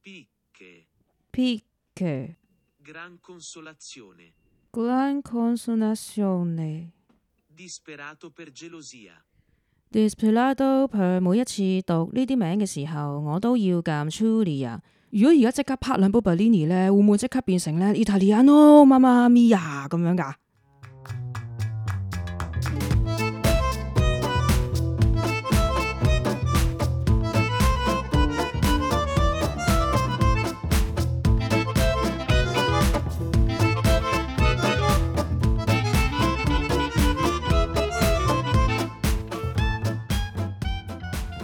Picche. Gran consolazione. Gran consolazione. Disperato per gelosia. Disperato per 每一次讀呢啲名嘅時候，我都要撳 Julia。如果而家即刻拍兩部 Bellini 咧，會唔會即刻變成咧 Italiano Mamma Mia 咁樣㗎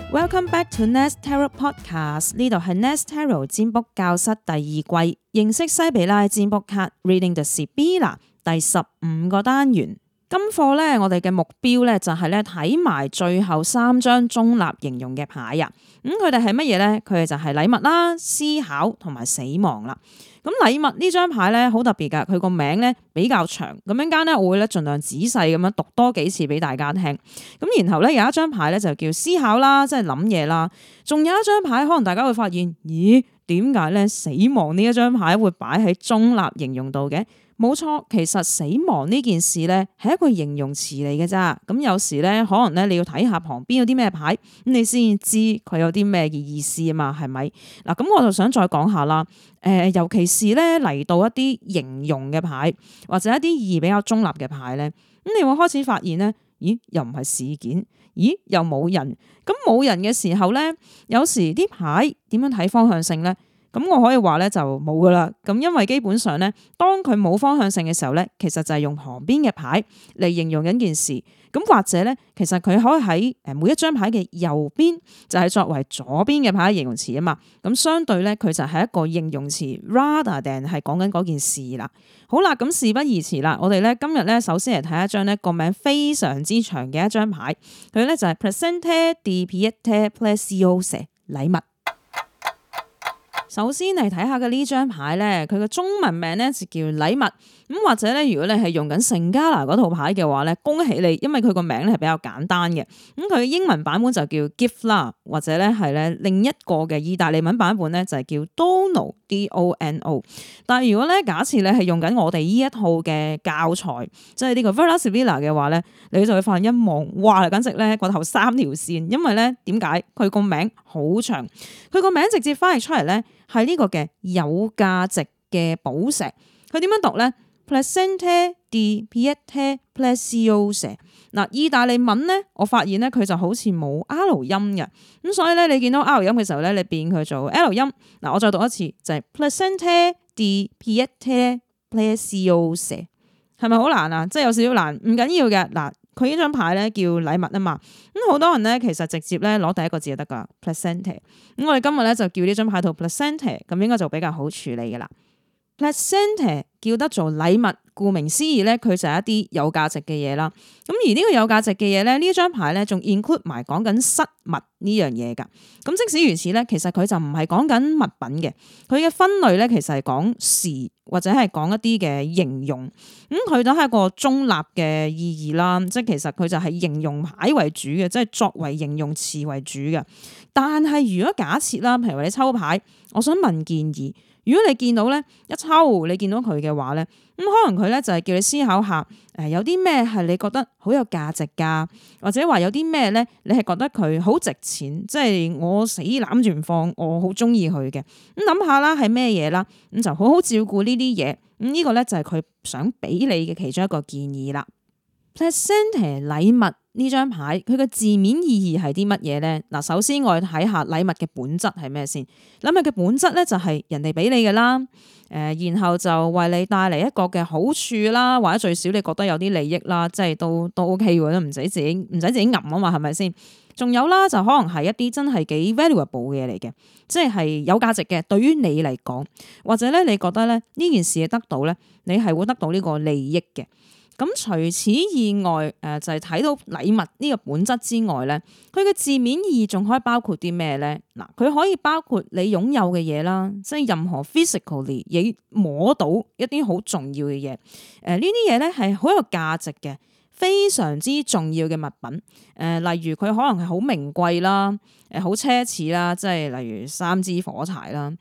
？Welcome back to Nest Tarot Podcast， 呢度係 Nest Tarot 占卜教室第二季，認識西比拉占卜卡 Reading the Sibilla 第15個單元。今課咧，我哋嘅目標咧就係咧睇埋最後3張中立形容嘅牌啊。佢哋係乜嘢咧？佢哋就係禮物啦、思考同埋死亡啦。咁禮物呢張牌咧好特別噶，佢個名咧比較長，咁陣間咧我會咧盡量仔細咁樣讀多幾次俾大家聽。咁然後咧有一張牌咧就叫思考啦，即係諗嘢啦。仲有一張牌，可能大家會發現，咦，點解咧死亡呢一張牌會擺喺中立形容度嘅？冇錯，其實死亡呢件事咧係一個形容詞嚟嘅咋。咁有時咧可能咧你要睇下旁邊有啲咩牌，咁你先知佢有啲咩嘅意思啊嘛，係咪？嗱，咁我就想再講下啦。尤其是咧嚟到一啲形容嘅牌，或者一啲意義比較中立嘅牌咧，咁你會開始發現咧，咦，又唔係事件，咦，又冇人。咁冇人嘅時候咧，有時啲牌點樣睇方向性咧？咁我可以話咧就冇噶啦，咁因為基本上咧，當佢冇方向性嘅時候咧，其實就係用旁邊嘅牌嚟形容緊件事，咁或者咧，其實佢可以喺每一張牌嘅右邊，就係作為左邊嘅牌形容詞啊嘛，咁相對咧佢就係一個形容詞 rather than 係講緊嗰件事啦。好啦，咁事不宜遲啦，我哋咧今日咧首先嚟睇一張咧個名非常之長嘅一張牌，佢咧就係 Presente di Pietà Preziose 禮物。首先嚟睇下嘅呢張牌咧，佢嘅中文名咧就叫禮物。咁或者咧，如果你係用緊聖加拿嗰套牌嘅話咧，恭喜你，因為佢個名咧係比較簡單嘅。咁佢嘅英文版本就叫 gift 啦，或者咧係咧另一個嘅意大利文版本咧就係叫 dono D-O-N-O。但係如果咧假設你係用緊我哋呢一套嘅教材，即係呢個 Vera Sibilla 嘅話咧，你就會發現一望，哇！簡直咧個頭3條線，因為咧點解佢個名好長？佢個名直接翻譯出嚟咧係呢個嘅有價值嘅寶石。佢點樣讀咧？Presente di Pietà Preziose。嗱，意大利文咧，我發現咧佢就好似冇 R 音嘅，咁所以咧你見到 R 音嘅時候咧，你變佢做 L 音。嗱，我再讀一次就係 Presente di Pietà Preziose， 係咪好難啊？即係有少少難，唔緊要嘅。嗱，佢呢張牌咧叫禮物啊嘛，咁好多人咧其實直接咧攞第一個字就得噶 Presente。咁我哋今日咧就叫呢張牌做 Presente， 咁應該就比較好處理嘅啦。Presente 叫得做禮物，顧名思義咧，佢就係一啲有價值嘅嘢啦。咁而呢個有價值嘅嘢咧，呢張牌咧仲 include 埋講緊失物呢樣嘢噶。咁即使如此咧，其實佢就唔係講緊物品嘅，佢嘅分類咧其實係講事或者係講一啲嘅形容。咁佢都係一個中立嘅意義啦，即係其實佢就係形容牌為主嘅，即係作為形容詞為主嘅。但係如果假設啦，譬如話你抽牌，我想問建議。如果你見到咧一抽，你見到佢嘅話咧，咁可能佢咧就係叫你思考下，有啲咩係你覺得好有價值㗎，或者話有啲咩咧你係覺得佢好值錢，即係我死攬住唔放，我好中意佢嘅。咁諗下啦，係咩嘢啦？咁就好好照顧呢啲嘢。咁呢個咧就係佢想俾你嘅其中一個建議啦。Presente 禮物呢張牌，佢嘅字面意義係啲乜嘢咧？嗱，首先我哋睇下禮物嘅本質係咩先。禮物嘅本質咧就係人哋俾你嘅啦，然後就為你帶嚟一個嘅好處啦，或者最少你覺得有啲利益啦，即係都 OK 喎，都唔使自己揞啊嘛，係咪先？仲有啦，就可能係一啲真係幾 valuable 嘅嘢嚟嘅，即係有價值嘅，對於你嚟講，或者咧你覺得咧呢件事得到咧，你係會得到呢個利益嘅。咁除此以外，就係睇到禮物呢個本質之外咧，佢嘅字面意義仲可以包括啲咩咧？嗱，佢可以包括你擁有嘅嘢啦，即係任何 physically 你摸到一啲好重要嘅嘢。呢啲嘢咧係好有價值嘅，非常之重要嘅物品。例如佢可能係好名貴啦，好奢侈啦，即係例如三支火柴啦，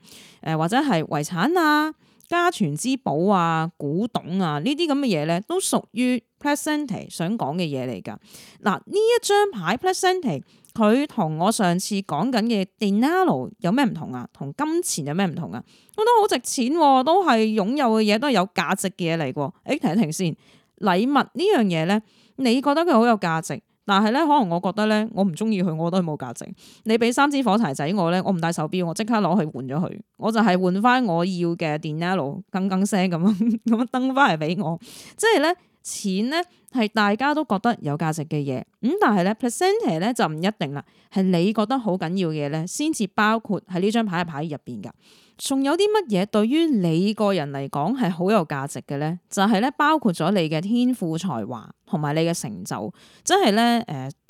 或者係遺產啊、家傳之寶啊、古董啊呢啲咁嘅嘢咧，都屬於 Presente 想講嘅嘢嚟㗎。嗱，呢一張牌 Presente 佢同我上次講緊嘅 Denaro 有咩唔同啊？同金錢有咩唔同啊？我都好值錢，都係擁有嘅嘢，都係有價值嘅嘢嚟㗎。停一停先，禮物呢樣嘢咧，你覺得佢好有價值，但係咧可能我覺得咧，我唔中意佢，我覺得佢冇價值。你俾3支火柴仔我咧，我唔戴手錶，我即刻攞去換咗佢，我就係換翻我要嘅 Denaro 更聲咁樣登翻嚟俾我，即係咧。錢咧係大家都覺得有價值嘅嘢，但係咧 Presente 咧就唔一定啦，係你覺得好緊要嘅嘢咧，先至包括喺呢張牌嘅牌入邊噶。仲有啲乜嘢對於你個人嚟講係好有價值嘅咧？就係咧包括咗你嘅天賦才華同埋你嘅成就，即係咧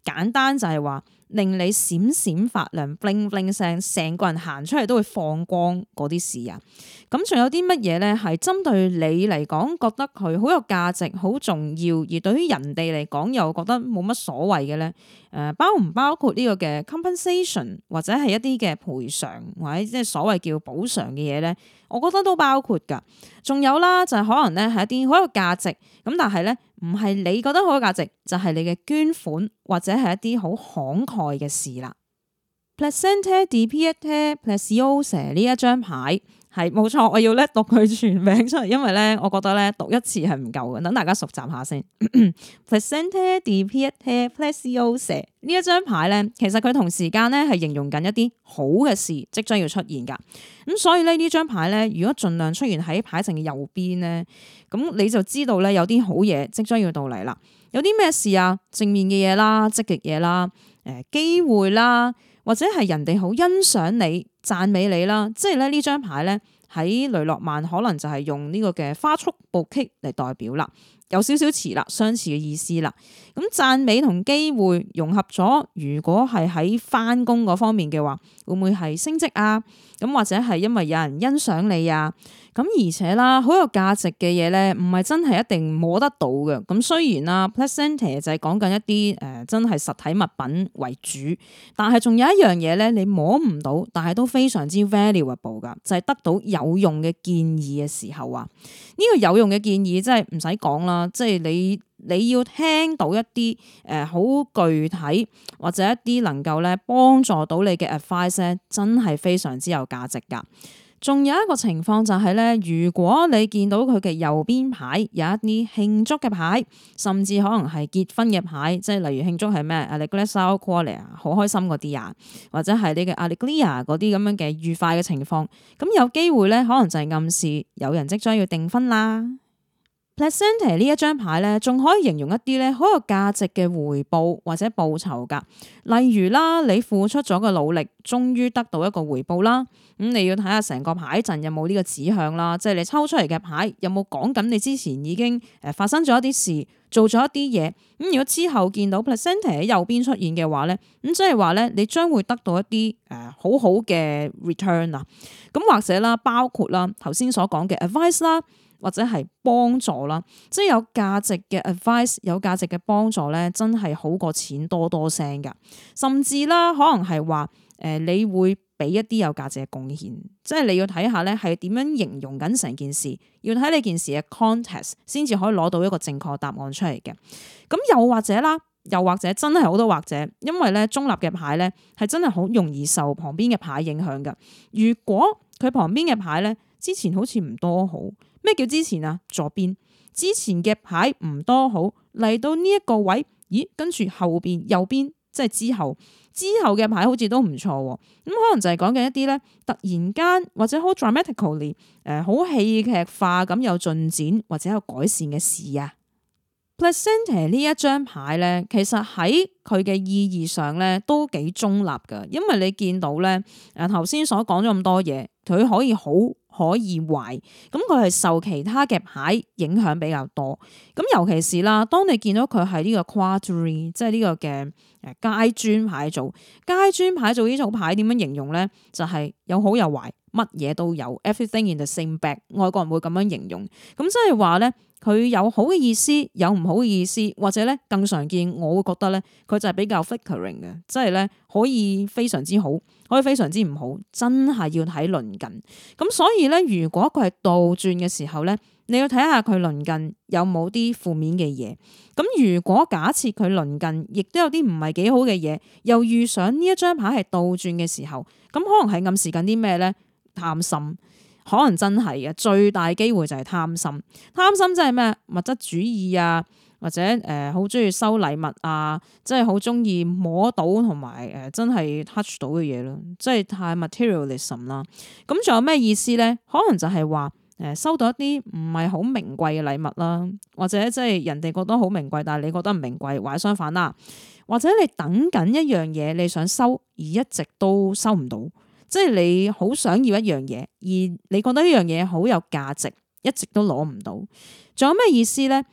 簡單就係話令你閃閃發亮 bling bling 聲，成個人行出嚟都會放光嗰啲事啊！咁仲有啲乜嘢咧？係針對你嚟講覺得佢好有價值、好重要，而對於人哋嚟講又覺得冇乜所謂嘅咧？包唔包括呢個嘅 compensation 或者係一啲嘅賠償或者即係所謂叫補償嘅嘢咧？我覺得都包括㗎。仲有啦，就係可能咧係一啲好有價值咁，但係咧唔係你覺得好有價值，就係你嘅捐款或者係一啲好慷慨嘅事啦。Presente di Pietà Preziosa 呢一張牌。係冇錯，我要咧讀佢全名出嚟，因為咧我覺得咧讀一次係唔夠嘅，等大家熟習下先。Presente di Pietà Preziosa 呢一張牌咧，其實佢同時間咧係形容緊一啲好嘅事即將要出現噶。咁所以咧呢張牌咧，如果盡量出現喺牌陣嘅右邊咧，咁你就知道咧有啲好嘢即將要到嚟啦。有啲咩事啊？正面嘅嘢啦，積極嘢啦，機會啦。或者係人哋好欣賞你、讚美你啦，即係咧呢張牌咧喺雷諾曼可能就係用呢個嘅花束布棘嚟代表啦，有少少似啦，相似嘅意思啦。咁讚美同機會融合咗，如果係喺返工嗰方面嘅話，會唔會係升職啊？咁或者係因為有人欣賞你啊？咁而且啦，好有價值嘅嘢咧，唔係真係一定摸得到嘅。咁雖然啦 Presente 就係講緊一啲真係實體物品為主，但係仲有一樣嘢咧，你摸唔到，但係都非常之 valuable 噶，就係得到有用嘅建議嘅時候啊。呢個有用嘅建議真係唔使講啦，即係你要聽到一啲好具體或者一啲能夠咧幫助到你嘅 advice 咧，真係非常之有價值噶。仲有一個情況就係咧，如果你見到佢嘅右邊牌有一啲慶祝嘅牌，甚至可能係結婚嘅牌，即係例如慶祝係咩 Allegria Qualia 好開心嗰啲啊，或者係你嘅 Allegria 嗰啲咁樣嘅愉快嘅情況，咁有機會咧，可能就係暗示有人即將要訂婚啦。Presente 呢一張牌咧，仲可以形容一啲咧好有價值嘅回報或者報酬噶。例如啦，你付出咗嘅努力，終於得到一個回報啦。咁你要睇下成個牌陣有冇呢個指向啦，即係你抽出嚟嘅牌有冇講緊你之前已經發生咗一啲事，做咗一啲嘢。咁如果之後見到 Presente 喺右邊出現嘅話咧，咁即係話咧，你將會得到一啲好好嘅 return 啊。咁或者啦，包括啦頭先所講嘅 advice 啦。或者係幫助啦，即係有價值嘅 advice， 有價值嘅幫助咧，真係好過錢多多聲噶。甚至啦，可能係話你會俾一啲有價值嘅貢獻，即係你要睇下咧係點樣形容緊成件事，要睇你件事嘅 context 先至可以攞到一個正確答案出嚟嘅。咁又或者啦，又或者真係好多或者，因為咧中立嘅牌咧係真係好容易受旁邊嘅牌影響噶。如果佢旁邊嘅牌咧之前好似唔多好。咩叫之前啊？左邊之前嘅牌唔多好，嚟到呢一個位，咦？跟住後邊右邊即係之後嘅牌好似都唔錯，咁可能就係講緊一啲咧突然間或者好 dramatically 好戲劇化咁有進展或者有改善嘅事啊。Presente 呢一張牌咧，其實喺佢嘅意義上咧都幾中立噶，因為你見到咧頭先所講咗咁多嘢，佢可以好。可以壞，咁佢係受其他嘅牌影響比較多，咁尤其是啦，當你見到佢係呢個 quadri， 即係呢個嘅階磚牌組，階磚牌組呢組牌點樣形容咧？就係有好有壞，乜嘢都有 ，everything in the same bag。外國人會咁樣形容，咁即係話咧，佢有好嘅意思，有唔好嘅意思，或者咧更常見，我會覺得咧，佢就係比較 flickering 嘅，即係咧可以非常之好，可以非常之唔好，真係要睇鄰近。咁所以咧，如果佢係倒轉嘅時候咧，你要睇下佢鄰近有冇啲負面嘅嘢。咁如果假設佢鄰近亦都有啲唔係幾好嘅嘢，又遇上呢一張牌係倒轉嘅時候，咁可能係暗示緊啲咩咧？貪心，可能真係嘅，最大機會就係貪心。貪心即係咩？物質主義啊，或者好中意收禮物啊，即係好中意摸到同埋真係 touch 到嘅嘢咯，即係太 materialism 啦。咁仲有咩意思咧？可能就係話收到一啲唔係好名貴嘅禮物啦，或者即係人哋覺得好名貴，但係你覺得唔名貴，或者相反啦。或者你等緊一樣嘢，你想收而一直都收唔到。即係你好想要一樣嘢，而你覺得呢樣嘢好有價值，一直都攞唔到。仲有咩意思咧？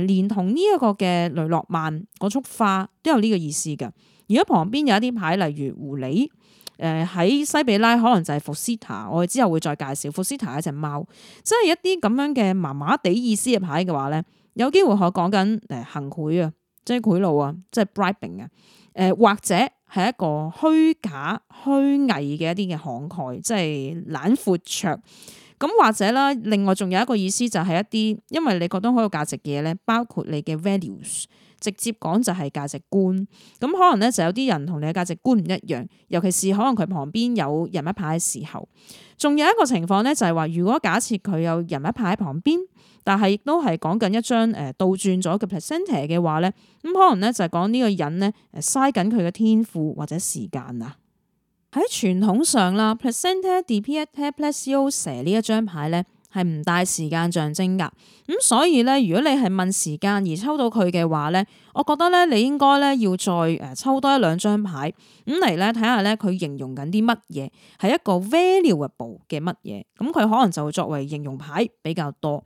連同呢一個嘅雷諾曼嗰束花都有呢個意思噶。如果旁邊有一啲牌，例如狐狸，喺西比拉可能就係福斯塔，我哋之後會再介紹福斯塔係一隻貓，即係一啲咁樣嘅麻麻地意思嘅牌嘅話咧，有機會可講緊行賄啊，即係賄賂啊，即係 bribing 啊，或者係一個虛假虛偽嘅一啲嘅慷慨，即係懶闊綽。咁或者啦，另外仲有一個意思就係一啲，因為你覺得好有價值嘅嘢咧，包括你嘅 values， 直接講就係價值觀。咁可能咧就有啲人同你嘅價值觀唔一樣，尤其是可能佢旁邊有人物牌嘅時候。仲有一個情況咧就係話，如果假設佢有人物牌喺旁邊，但係亦都係講緊一張倒轉咗嘅 placenta 嘅話咧，咁可能咧就係講呢個人咧嘥緊佢嘅天賦或者時間啊。喺傳統上啦 placenta di pietra preziosa 呢一張牌咧係唔帶時間象徵噶，咁所以咧如果你係問時間而抽到佢嘅話咧，我覺得咧你應該咧要再抽多一兩張牌咁嚟咧睇下咧佢形容緊啲乜嘢，係一個 valuable 嘅乜嘢，咁佢可能就會作為形容牌比較多。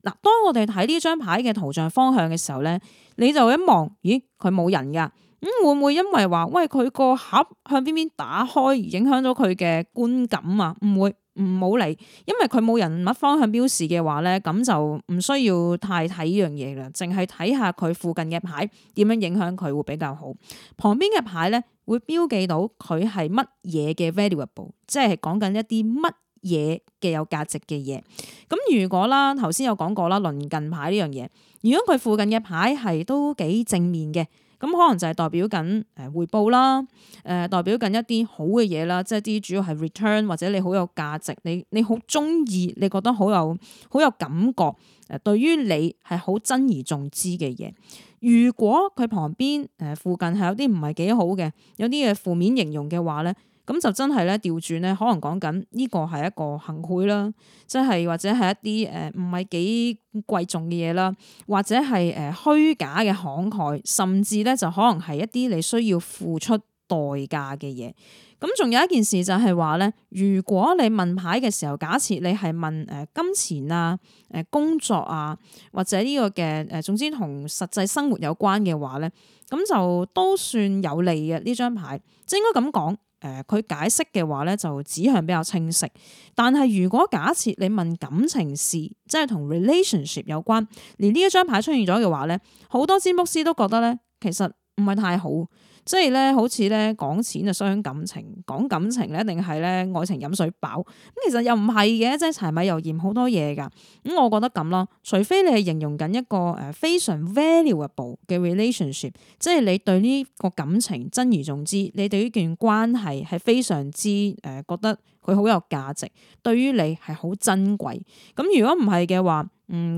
嗱，當我哋睇呢張牌嘅圖像方向嘅時候咧，你就一望，咦，佢冇人噶。會唔會因為話喂佢個盒向邊邊打開而影響咗佢嘅觀感啊？唔會，唔好理，因為佢冇人物方向標示嘅話咧，咁就唔需要太睇呢樣嘢啦，淨係睇下佢附近嘅牌點樣影響佢會比較好。旁邊嘅牌咧會標記到佢係乜嘢嘅 valuable， 即係講緊一啲乜嘢嘅有價值嘅嘢。咁如果啦，頭先有講過啦，鄰近牌呢樣嘢，如果佢附近嘅牌係都幾正面嘅。咁可能就係代表緊回報啦，代表緊一啲好嘅嘢啦，即係啲主要係 return 或者你好有價值，你好中意，你覺得好有感覺，對於你係好珍而重之嘅嘢。如果佢旁邊附近係有啲唔係幾好嘅，有啲嘅負面形容嘅話咧，咁就真係咧調轉咧，可能講緊呢個係一個行賄啦，即係或者係一啲唔係幾貴重嘅嘢啦，或者係虛假嘅慷慨，甚至咧就可能係一啲你需要付出代價嘅嘢。咁仲有一件事就係話咧，如果你問牌嘅時候，假設你係問金錢啊、工作啊，或者呢個嘅總之同實際生活有關嘅話咧，咁就都算有利嘅呢張牌，即係應該咁講。佢解釋嘅話咧就指向比較清晰，但係如果假設你問感情事，即係同 relationship 有關，連呢一張牌出現咗嘅話咧，好多占卜師都覺得咧其實唔係太好，即係咧好似咧講錢就傷感情，講感情咧一定係咧愛情飲水飽，咁其實又唔係嘅，即係柴米油鹽好多嘢噶。咁我覺得咁咯，除非你係形容緊一個非常 valuable 嘅 relationship， 即係你對呢個感情珍而重之，你對呢段關係係非常之覺得佢好有價值，對於你係好珍貴。咁如果唔係嘅話，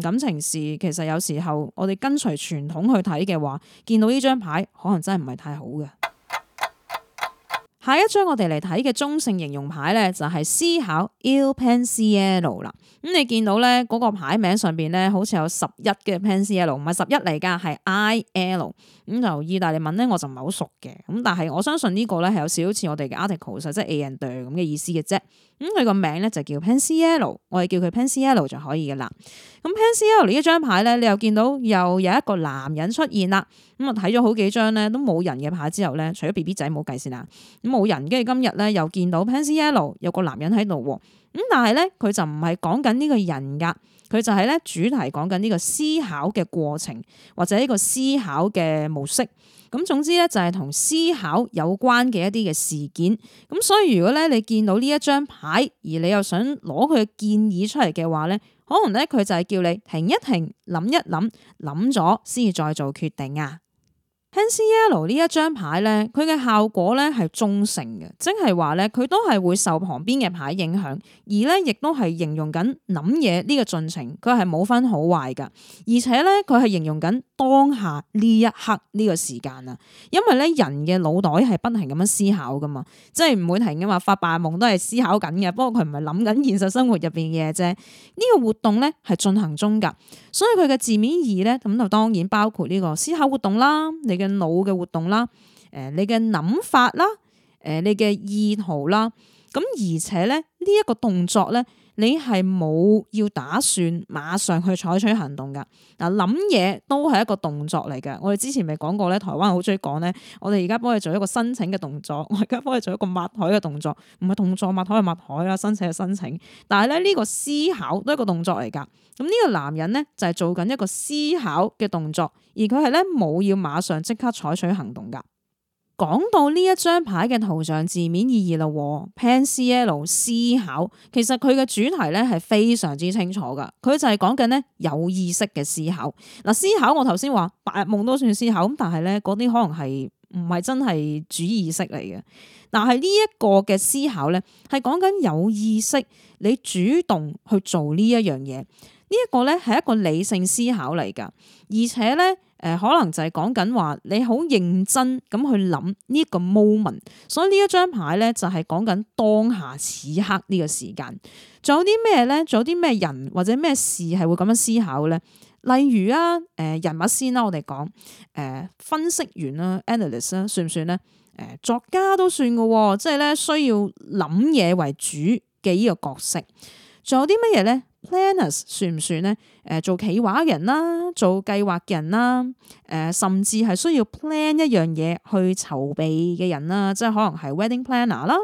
感情事其實有時候我哋跟隨傳統去睇嘅話，見到呢張牌可能真係唔係太好嘅。下一張我哋嚟睇嘅中性形容牌咧，就係思考 Il Pensiero 啦。咁你見到咧嗰個牌名上邊咧，好似有11嘅 Pensiero，唔係11嚟噶，係 IL。咁就意大利文咧，我就唔係好熟嘅。咁但係我相信呢個咧係有少少似我哋嘅 article，即係 A and D 咁嘅意思嘅啫。佢個名咧就叫 Pensiero， 我哋叫佢 Pensiero 就可以嘅啦。咁 Pensiero 呢一張牌咧，你又見到又有一個男人出現啦。咁啊睇咗好幾張咧都冇人嘅牌之後咧，除咗 BB 仔冇計先啦，咁冇人，跟住今日咧又見到 Pensiero 有個男人喺度喎。咁但係咧佢就唔係講緊呢個人噶，佢就係咧主題講緊呢個思考嘅過程或者呢個思考嘅模式。咁總之咧就係同思考有關嘅一啲嘅事件。咁所以如果咧你見到呢一張牌，而你又想攞佢嘅建議出嚟嘅話咧，可能咧佢就係叫你停一停，諗一諗，諗咗先至再做決定啊。Pensiero 呢一張牌咧，佢嘅效果咧係中性嘅，即係話咧佢都係會受旁邊嘅牌影響，而咧亦都係形容緊諗嘢呢個進程，佢係冇分好壞噶，而且咧佢係形容緊當下呢一刻呢個時間啊，因為咧人嘅腦袋係不停咁樣思考噶嘛，即係唔會停噶嘛，發白日夢都係思考緊嘅，不過佢唔係諗緊現實生活入邊嘅嘢啫，呢個活動咧係進行中噶，所以佢嘅字面意義咧咁就當然包括呢個思考活動啦，你嘅腦嘅活動啦，你嘅諗法啦，你嘅意圖啦，咁而且咧呢一個動作咧，你係冇要打算馬上去採取行動噶。嗱，諗嘢都係一個動作嚟嘅。我哋之前咪講過咧，台灣好中意講咧，我哋而家幫佢做一個申請嘅動作，我而家幫佢做一個抹台嘅動作，唔係動作抹台係抹台啦，申請係申請。但係咧呢個思考都係一個動作嚟噶。咁呢個男人咧就係做緊一個思考嘅動作，而佢係咧冇要馬上即刻採取行動噶。講到呢一張牌嘅圖像字面意義啦，Pensiero 思考，其實佢嘅主題咧係非常之清楚噶，佢就係講緊咧有意識嘅思考。嗱，思考我頭先話白日夢都算思考，咁但係咧嗰啲可能係唔係真係主意識嚟嘅。但係呢一個嘅思考咧係講緊有意識，你主動去做呢一樣嘢，呢一個咧係一個理性思考嚟噶，而且咧。可能就係講緊話你好認真咁去諗呢一個 moment，所以呢一張牌咧就係講緊當下此刻呢個時間。仲有啲咩咧？仲有啲咩人或者咩事係會咁樣思考咧？例如啊，人物先啦，我哋講分析員啦 ，analyst 啦，算唔算咧？作家都算噶，即係咧需要諗嘢為主嘅呢個角色。仲有啲乜嘢咧？Planners 算唔算咧？做企劃人啦，做計劃嘅人啦，甚至係需要 plan 一樣嘢去籌備嘅人啦，即係可能係 wedding planner 啦。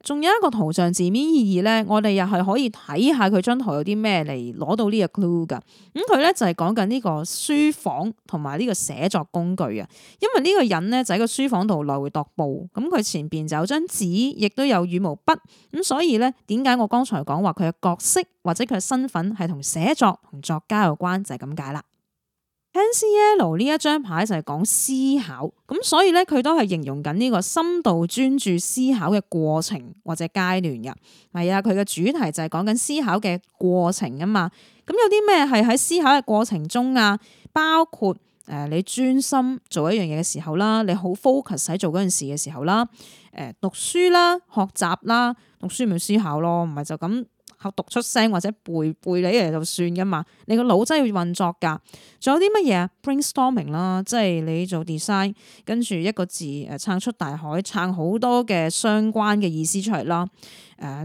仲有一個圖像字面意義咧，我哋又係可以睇下佢張圖有啲咩嚟攞到呢個 clue 噶。咁佢咧就係講緊呢個書房同埋呢個寫作工具啊。因為呢個人咧就喺個書房度來回踱步，咁佢前邊就有張紙，亦都有羽毛筆。咁所以咧，點解我剛才講話佢嘅角色或者佢嘅身份係同寫作同作家有關，就係咁解啦。Pensiero 呢一張牌就係講思考，咁所以咧佢都係形容緊呢個深度專注思考嘅過程或者階段嘅。係啊，佢嘅主題就係講緊思考嘅過程啊嘛。咁有啲咩係喺思考嘅過程中啊？包括你專心做一樣嘢嘅時候啦，你好 focus 喺做嗰件事嘅時候啦，讀書啦、學習啦，讀書咪思考咯，唔係就咁。讀出聲或者背你嚟就算噶嘛，你個腦真係要運作噶。仲有啲乜嘢啊 ？brainstorming 啦，即係你做 design，跟住一個字撐出大海，撐好多嘅相關嘅意思出嚟啦。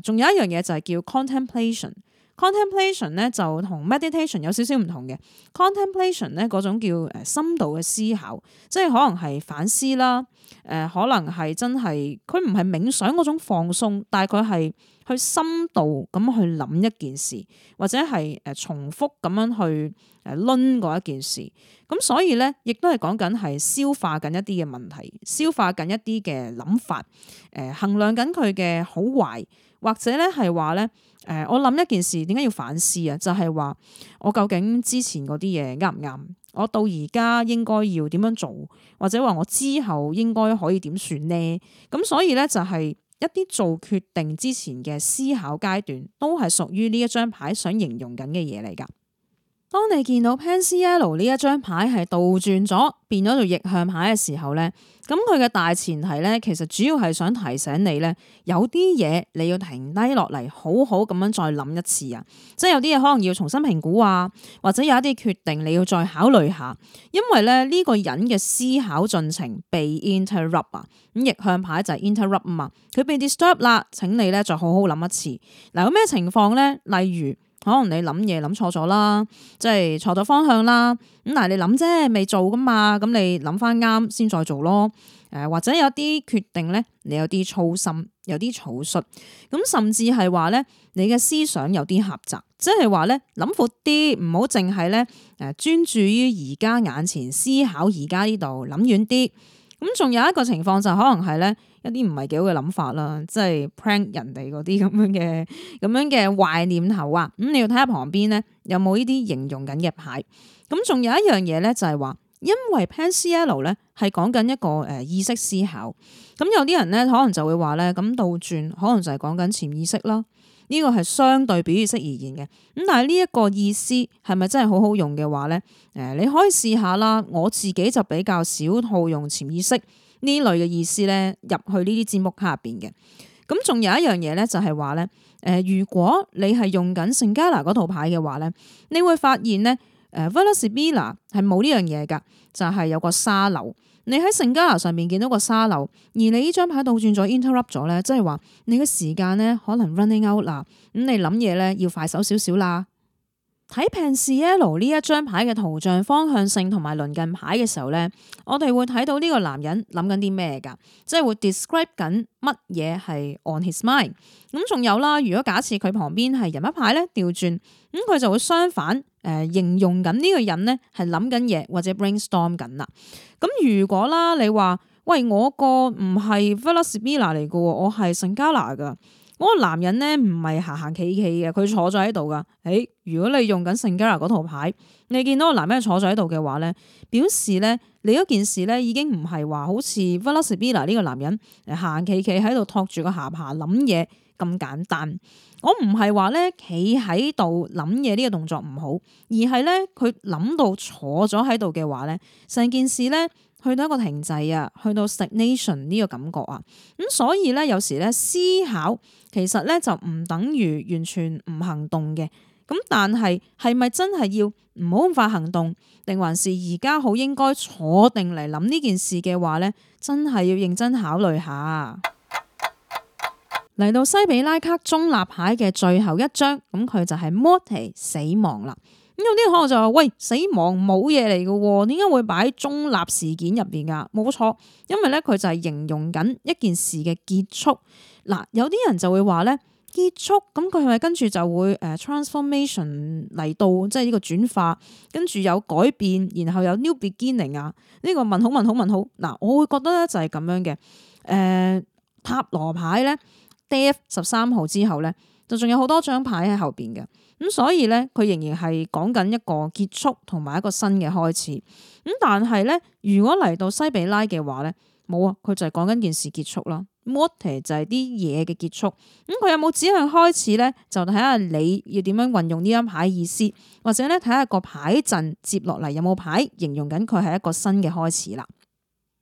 仲有一樣嘢就係叫 contemplation。contemplation 咧就同 meditation 有少少唔同嘅。contemplation 咧嗰種叫深度嘅思考，即係可能係反思啦。可能係真係佢唔係冥想嗰種放鬆，但係佢係去深度咁去諗一件事，或者係重複咁樣去論過一件事。咁所以咧，亦都係講緊係消化緊一啲嘅問題，消化緊一啲嘅諗法，衡量緊佢嘅好壞，或者咧係話咧，我諗一件事點解要反思啊？就係話我究竟之前嗰啲嘢啱唔啱？我到而家應該要點樣做，或者話我之後應該可以點算呢？咁所以咧就係一啲做決定之前嘅思考階段，都係屬於呢一張牌想形容緊嘅嘢嚟噶。當你見到 Pencil 呢一張牌係倒轉咗，變咗做逆向牌嘅時候咧，咁佢嘅大前提咧，其實主要係想提醒你咧，有啲嘢你要停低落嚟，好好咁樣再諗一次啊！即係有啲嘢可能要重新評估啊，或者有一啲決定你要再考慮下，因為咧呢個人嘅思考進程被 interrupt 啊，咁逆向牌就係 interrupt 啊嘛，佢被 disturb 啦，請你咧再好好諗一次。嗱，有咩情況咧？例如，可能你諗嘢諗錯咗啦，即係錯咗方向啦。咁但係你諗啫，未做噶嘛，咁你諗翻啱先再做咯。或者有啲決定咧，你有啲粗心，有啲草率，咁甚至係話咧，你嘅思想有啲狹窄，即係話咧諗闊啲，唔好淨係咧專注於而家眼前思考而家呢度，諗遠啲。咁仲有一個情況就可能係咧一啲唔係幾好嘅諗法啦，即係 prank 人哋嗰啲咁樣嘅壞念頭啊。咁你要睇下旁邊咧有冇呢啲形容緊嘅牌。咁仲有一樣嘢咧就係話，因為 Pencil 咧係講緊一個意識思考。咁有啲人咧可能就會話咧，咁倒轉可能就係講緊潛意識啦。呢個係相對表意識而言嘅，咁但係呢一個意思係咪真係好好用嘅話咧？你可以試下啦。我自己就比較少套用潛意識呢類嘅意思咧入去呢啲占卜卡入邊嘅。咁仲有一樣嘢咧，就係話咧，如果你係用緊聖加拿嗰套牌嘅話咧，你會發現咧，Velas Sibilla 係冇呢樣嘢噶，就係有個沙漏。你喺聖加拿上面見到個沙漏，而你呢張牌倒轉咗 interrupt 咗咧，即係話你嘅時間咧可能 running out 啦，咁你諗嘢咧要快手少少啦。睇 Pencil 呢一張牌嘅圖像方向性同埋鄰近牌嘅時候咧，我哋會睇到呢個男人諗緊啲咩噶，即係會 describe 緊乜嘢係 on his mind。咁仲有啦，如果假設佢旁邊係人物牌咧調轉，咁佢就會相反形容緊呢個人咧係諗緊嘢或者 brainstorm 緊啦。咁如果啦你話喂，我個唔係 Velas Sibilla 嚟噶，我係聖加拿噶。嗰個男人咧唔係行行企企嘅，佢坐咗喺度噶。如果你用緊聖加拿嗰套牌，你見到個男人坐咗喺度嘅話咧，表示咧你嗰件事咧已經唔係話好似 Velas Sibilla 呢個男人行行企企喺度托住個下巴諗嘢咁簡單。我唔係話咧企喺度諗嘢呢個動作唔好，而係咧佢諗到坐咗喺度嘅話咧，成件事咧去到一個停滯啊，去到 stagnation 呢個感覺啊。咁所以咧有時咧思考其實咧就唔等於完全唔行動嘅。咁但係係咪真係要唔好咁快行動，定還是而家好應該坐定嚟諗呢件事嘅話咧，真係要認真考慮下。嚟到西比拉卡中立牌嘅最後一張，咁佢就係 Morte 死亡啦。咁有啲可能就話喂，死亡冇嘢嚟嘅，點解會擺喺中立事件入邊噶？冇錯，因為咧佢就係形容緊一件事嘅結束。嗱，有啲人就會話咧結束，咁佢係咪跟住就會transformation 嚟到，即係呢個轉化，跟住有改變，然後有 new beginning 啊？呢個問號問號問號。嗱，我會覺得咧就係咁樣嘅。塔羅牌咧。Death 13號之後咧，就仲有好多張牌喺後邊嘅，咁所以咧佢仍然係講緊一個結束同埋一個新嘅開始。咁但係咧，如果嚟到西比拉嘅話咧，冇啊，佢就係講緊件事結束啦。Morte 就係啲嘢嘅結束。咁佢有冇指向開始咧？就睇下你要點樣運用呢張牌意思，或者咧睇下個牌陣接落嚟有冇牌形容緊佢係一個新嘅開始啦。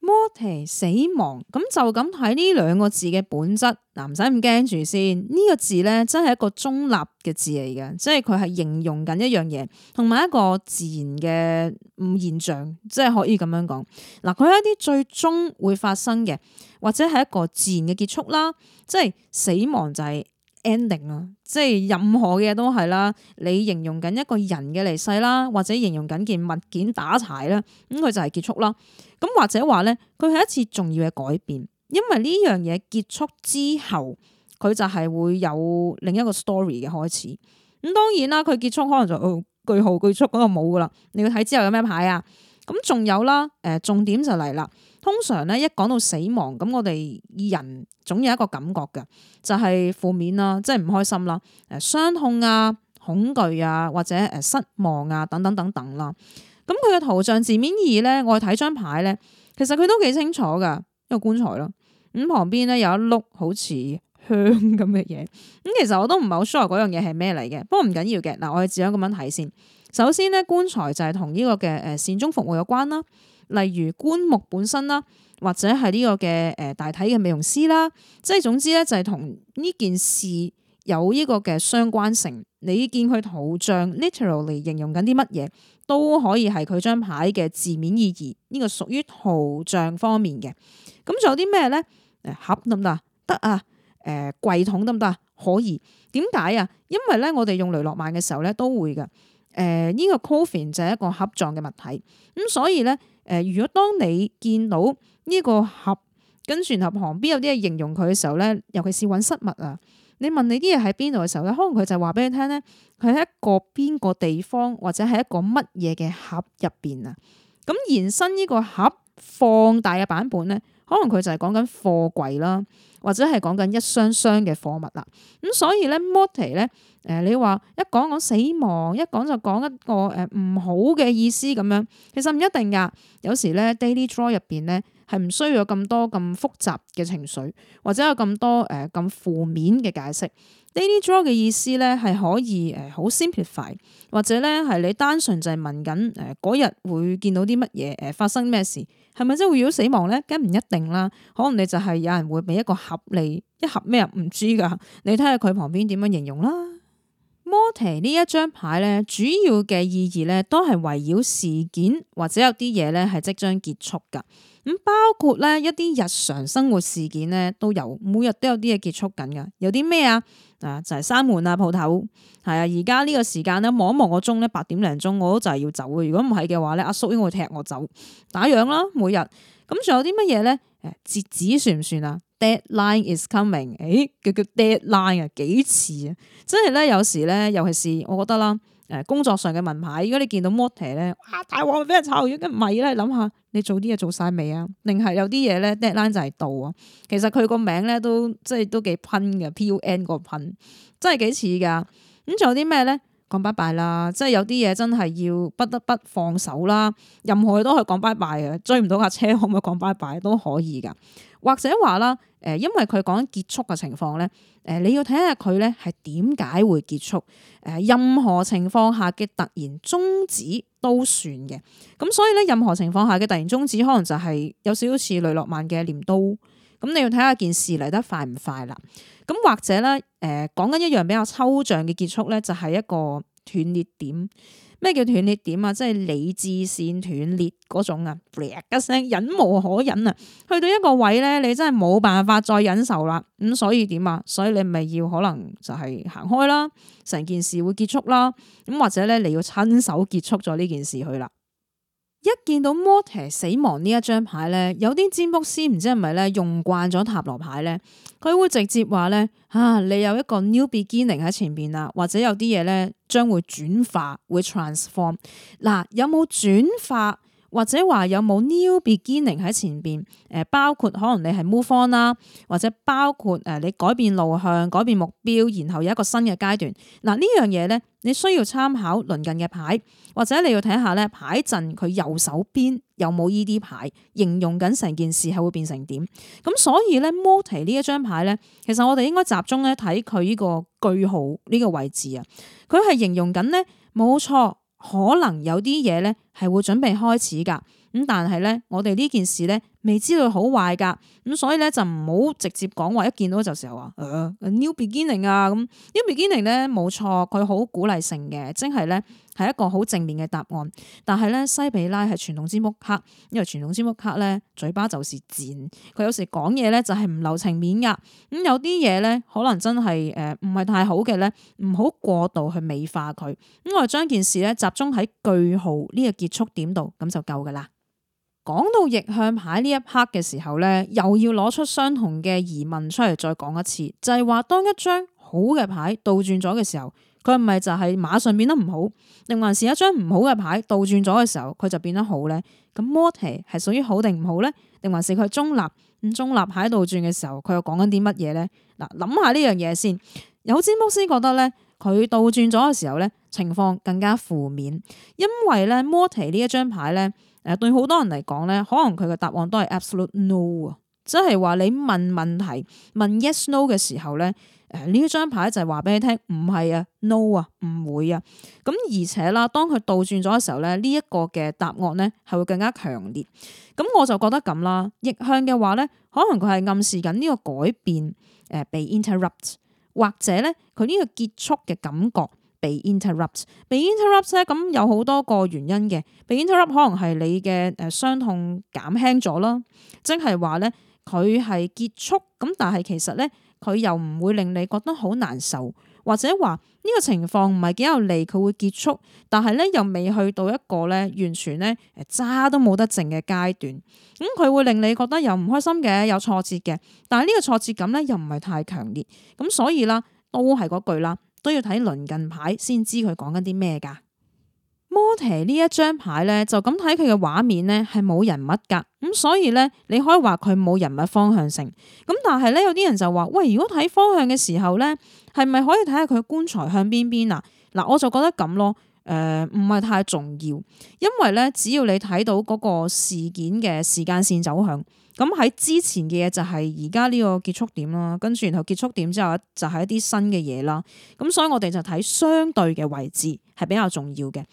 Morte 死亡，咁就咁睇呢兩個字嘅本質，嗱唔使咁驚住先。呢個字咧真係一個中立嘅字嚟嘅，即係佢係形容緊一樣嘢，同埋一個自然嘅現象，即係可以咁樣講。嗱，佢係一啲最終會發生嘅，或者係一個自然嘅結束啦。即係死亡就係 ending 啦，即係任何嘅嘢都係啦。你形容緊一個人嘅離世啦，或者形容緊件物件打柴啦，咁佢就係結束啦。咁或者話咧，佢係一次重要嘅改變，因為呢樣嘢結束之後，佢就係會有另一個 story 嘅開始。咁當然啦，佢結束可能就句號結束嗰個冇噶啦。你要睇之後有咩牌啊？咁仲有啦，重點就嚟啦。通常咧一講到死亡，咁我哋人總有一個感覺嘅，就係負面啦，即係唔開心啦，傷痛啊、恐懼啊，或者失望啊等等等等啦。咁佢嘅圖像字面意義咧，我睇張牌咧，其實佢都幾清楚噶，一個棺材咯。咁旁邊咧有一碌好似香咁嘅嘢。咁其實我都唔係好 sure 嗰樣嘢係咩嚟嘅，不過唔緊要嘅。嗱，我哋只想咁樣睇先。首先咧，棺材就係同呢個嘅善終服務有關啦，例如棺木本身啦，或者係呢個嘅大體嘅美容師啦，即係總之咧就係同呢件事有呢個嘅相關性。你見佢圖像 literally 形容緊啲乜嘢，都可以係佢張牌嘅字面意義。呢個屬於圖像方面嘅。咁仲有啲咩咧？盒得唔得啊？得啊。櫃桶得唔得啊？可以。點解啊？因為咧，我哋用雷諾曼嘅時候咧都會㗎。呢個 coffin 就係一個盒狀嘅物體。咁所以咧，如果當你見到呢個盒，跟住然後旁邊有啲嘢形容佢嘅時候咧，尤其是揾失物啊，你問你啲嘢喺邊度嘅時候咧，可能佢就話俾你聽咧，佢喺一個邊個地方或者係一個乜嘢嘅盒入邊啊。咁延伸呢個盒放大嘅版本咧，可能佢就係講緊貨櫃啦，或者係講緊一箱箱嘅貨物啦。咁所以咧 morte 咧，你話一講死亡，一講就講一個唔好嘅意思咁樣，其實唔一定噶。有時咧 daily draw 入邊咧係唔需要有咁多咁複雜嘅情緒，或者有咁多咁負面嘅解釋。daily draw 嘅意思咧係可以好 simplify， 或者咧係你單純就係問緊嗰日會見到啲乜嘢發生咩事，係咪真會遇到死亡咧？梗唔一定啦，可能你就係有人會俾一個盒你，一盒咩唔知噶，你睇下佢旁邊點樣形容啦。morte 呢一張牌咧，主要嘅意義咧都係圍繞事件或者有啲嘢咧係即將結束噶。咁包括咧一啲日常生活事件咧都有，每日都有啲嘢結束緊噶。有啲咩啊？就係閂門啊，鋪頭係啊。而家呢個時間咧，望一望個鐘咧，8點零鐘，我都就係要走嘅。如果唔係嘅話咧，阿叔應該會踢我走，打烊啦每日。咁仲有啲乜嘢咧？截止算唔算啊？Deadline is coming，叫 deadline 啊，幾遲啊！真係咧，有時咧，尤其是我覺得啦，工作上嘅文牌，如果你見到 morte 咧，哇大鑊俾人炒咗，梗唔係咧，諗下你做啲嘢做晒未啊？定係有啲嘢咧 deadline 就係到啊？其實佢個名咧都即係都幾噴嘅 PUN 個噴，真係幾似噶。咁仲有啲咩咧？講拜拜啦，即係有啲嘢真係要不得不放手啦。任何嘢都可以講拜拜嘅，追唔到架車可唔可以講拜拜都可以噶。或者話啦，因為佢講緊結束嘅情況咧，你要睇下佢咧係點解會結束。任何情況下嘅突然終止都算嘅。咁所以咧，任何情況下嘅突然終止，可能就係有少少似雷諾曼嘅鐮刀。咁你要睇下件事嚟得快唔快啦。咁或者咧，講緊一樣比較抽象嘅結束咧，就係一個斷裂點。咩叫斷裂點啊？即係理智線斷裂嗰種啊，一聲忍無可忍啊，去到一個位咧，你真係冇辦法再忍受啦。咁所以點啊？所以你咪要可能就係行開啦，成件事會結束啦。咁或者咧，你要親手結束咗呢件事去啦。一見到 morte 死亡呢一張牌咧，有啲占卜師唔知係咪咧用慣咗塔羅牌咧，佢會直接話咧你有一個 new beginning 喺前邊啦，或者有啲嘢咧將會轉化，會 transform。嗱，有冇轉化或者話有冇 new beginning 喺前邊？包括可能你係 move on 啦，或者包括你改變路向、改變目標，然後有一個新嘅階段。嗱，呢樣嘢咧，你需要參考鄰近嘅牌，或者你要睇下咧牌陣佢右手邊有冇依啲牌，形容緊成件事係會變成點。咁所以咧 morte 呢一張牌咧，其實我哋應該集中咧睇佢呢個句號呢個位置啊，佢係形容緊咧冇錯。可能有啲嘢咧係會準備開始噶，咁但係咧我哋呢件事咧未知道好壞噶，咁所以咧就唔好直接講話一見到就時候話new beginning 啊，咁 new beginning 咧冇錯，佢好鼓勵性嘅，即係咧係一個好正面嘅答案。但係咧西比拉係傳統占卜卡，因為傳統占卜卡咧嘴巴就是賤，佢有時講嘢咧就係唔留情面噶。咁有啲嘢咧可能真係唔係太好嘅咧，唔好過度去美化佢。咁我哋將件事咧集中喺句號呢個結束點度，咁就夠噶啦。講到逆向牌呢一 part 嘅時候咧，又要攞出相同嘅疑問出嚟再講一次，就係話當一張好嘅牌倒轉咗嘅時候，佢係咪就係馬上變得唔好，定還是一張唔好嘅牌倒轉咗嘅時候佢就變得好咧？咁 morte 係屬於好定唔好咧？定還是佢中立？咁中立牌倒轉嘅時候，佢又講緊啲乜嘢咧？嗱，諗下呢樣嘢先。有占卜師覺得咧，佢倒轉咗嘅時候咧，情況更加負面，因為咧 morte 呢一張牌咧。對好多人嚟講咧，可能佢嘅答案都係 absolute no 啊，即係話你問問題問 yes no 嘅時候咧，呢一張牌就係話俾你聽，唔係啊 ，no 啊，唔會啊。咁而且啦，當佢倒轉咗嘅時候咧，呢一個嘅答案咧係會更加強烈。咁我就覺得咁啦，逆向嘅話咧，可能佢係暗示緊呢個改變被 interrupt， 或者咧佢呢個結束嘅感覺被 interrupt。被 interrupt 咧，咁有好多個原因嘅。被 interrupt 可能係你嘅傷痛減輕咗啦，即係話咧佢係結束，咁但係其實咧佢又唔會令你覺得好難受。或者話呢個情況唔係幾有利，佢會結束，但係咧又未去到一個咧完全咧渣都冇得剩嘅階段。咁佢會令你覺得又唔開心嘅，有挫折嘅，但係呢個挫折感咧又唔係太強烈。咁所以啦，都係嗰句啦，都要睇鄰近牌先知佢講緊啲咩㗎。摩提呢一張牌咧，就咁睇佢嘅畫面咧係冇人物噶，咁所以咧你可以話佢冇人物方向性。咁但係咧有啲人就話，喂，如果睇方向嘅時候咧，係咪可以睇下佢棺材向邊邊啊？嗱，我就覺得咁咯，唔係太重要，因為咧只要你睇到嗰個事件嘅時間線走向，咁喺之前嘅嘢就係而家呢個結束點啦，跟住然後結束點之後就係一啲新嘅嘢啦。咁所以我哋就睇相對嘅位置係比較重要嘅。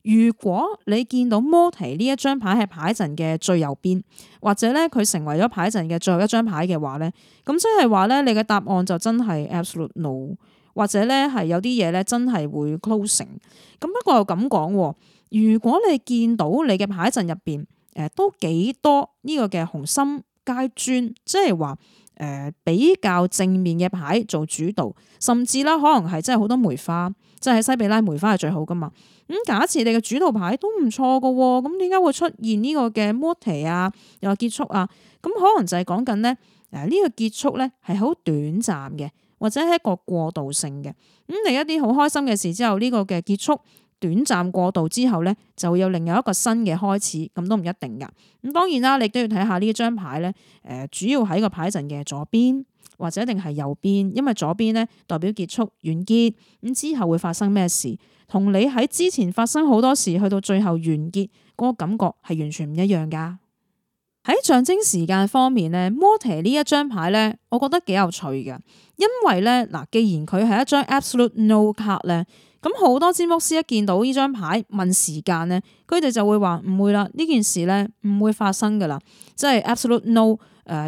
如果你見到摩提呢一張牌喺牌陣嘅最右邊，或者咧佢成為咗牌陣嘅最後一張牌嘅話咧，咁即係話咧你嘅答案就真係 absolute no， 或者咧係有啲嘢咧真係會 closing。咁不過又咁講，如果你見到你嘅牌陣入邊都幾多呢個嘅紅心階磚，即係話比較正面嘅牌做主導，甚至啦可能係真係好多梅花，即係喺西比拉梅花係最好噶嘛。咁假設你嘅主導牌都唔錯噶，咁點解會出現呢個嘅摩提啊，又話結束啊？咁可能就係講緊咧，呢個結束咧係好短暫嘅，或者係一個過渡性嘅。咁你一啲好開心嘅事之後，呢個嘅結束短暫過渡之後咧，就會有另外一個新嘅開始，咁都唔一定噶。咁當然啦，你都要睇下呢張牌咧，主要喺個牌陣嘅左邊或者一定係右邊，因為左邊咧代表結束完結，咁之後會發生咩事？同你喺之前發生好多事，去到最後完結嗰個感覺係完全唔一樣噶。喺象徵時間方面咧，摩提呢一張牌咧，我覺得幾有趣嘅，因為咧嗱，既然佢係一張 absolute no card 咧，咁好多占卜師一見到呢張牌問時間咧，佢哋就會話唔會啦，呢件事咧唔會發生噶啦，即係 absolute no，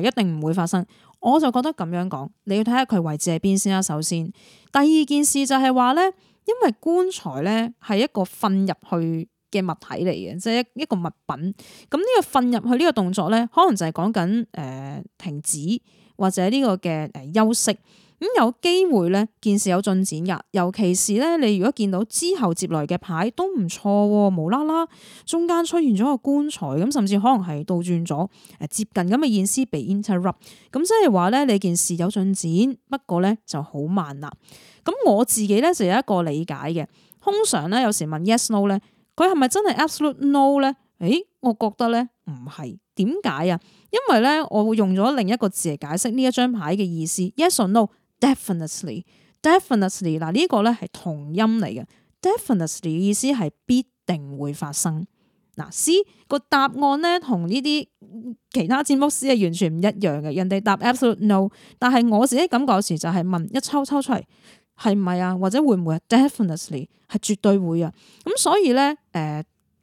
一定唔會發生。我就覺得咁樣講，你要睇下佢位置喺邊先啦。首先，第二件事就係話咧。因為棺材咧係一個瞓入去嘅物體嚟嘅，即係一個物品。咁呢個瞓入去呢個動作咧，可能就係講緊停止或者呢個嘅休息。咁有機會咧件事有進展噶，尤其是咧你如果見到之後接來嘅牌都唔錯，無啦啦中間出現咗個棺材，咁甚至可能係倒轉咗接近咁嘅意思被 interrupt。咁即係話咧你件事有進展，不過咧就好慢啦。咁我自己咧就有一個理解嘅，通常咧有時問 yes no 咧，佢係咪真係 absolute no 咧？我覺得咧唔係，點解啊？因為咧我會用咗另一個字嚟解釋呢一張牌嘅意思 ，yes or no，definitely， 嗱呢個咧係同音嚟嘅 ，definitely 嘅意思係必定會發生。嗱 C 個答案咧同呢啲其他占卜師係完全唔一樣嘅，人哋答 absolute no， 但係我自己感覺有時就係問一抽出嚟。係唔係啊？或者會唔會啊 ？Definitely 係絕對會啊！咁所以咧，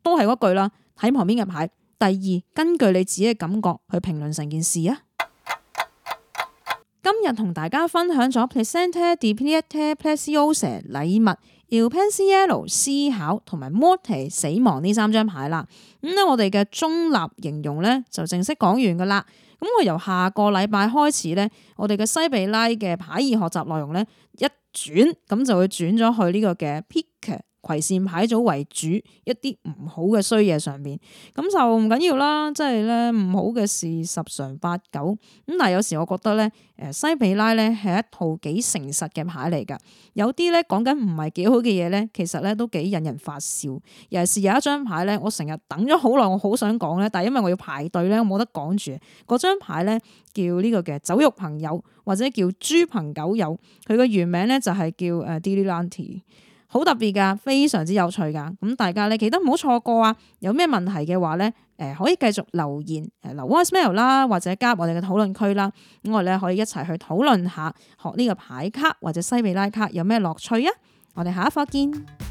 都係嗰句啦。睇旁邊嘅牌。第二，根據你自己嘅感覺去評論成件事啊。今日同大家分享咗 Presente di Pietà Preziosa 禮物、Il Pensiero 思考同埋 Morte 死亡呢三張牌啦。咁咧，我哋嘅中立形容咧就正式講完噶啦。咁我由下個禮拜開始咧，我哋嘅西比拉嘅牌義學習內容咧一轉咁就會轉咗去呢個嘅 Pick 葵扇牌組為主，一啲唔好嘅衰嘢上面，咁就唔緊要啦。即係咧唔好嘅事十常八九，咁但係有時我覺得咧，西比拉咧係一套幾誠實嘅牌嚟噶。有啲咧講緊唔係幾好嘅嘢咧，其實咧都幾引人發笑。尤其是有一張牌咧，我成日等咗好耐，我好想講咧，但係因為我要排隊咧，我冇得講住。嗰張牌咧叫呢個嘅酒肉朋友，或者叫豬朋狗友，佢個原名咧就係叫Dilettante。好特別噶，非常之有趣噶，咁大家咧記得唔好錯過啊！有咩問題嘅話咧，可以繼續留言留 voicemail 啦，或者加入我哋嘅討論區啦。咁我哋咧可以一齊去討論下學呢個牌卡或者西比拉卡有咩樂趣啊！我哋下一課見。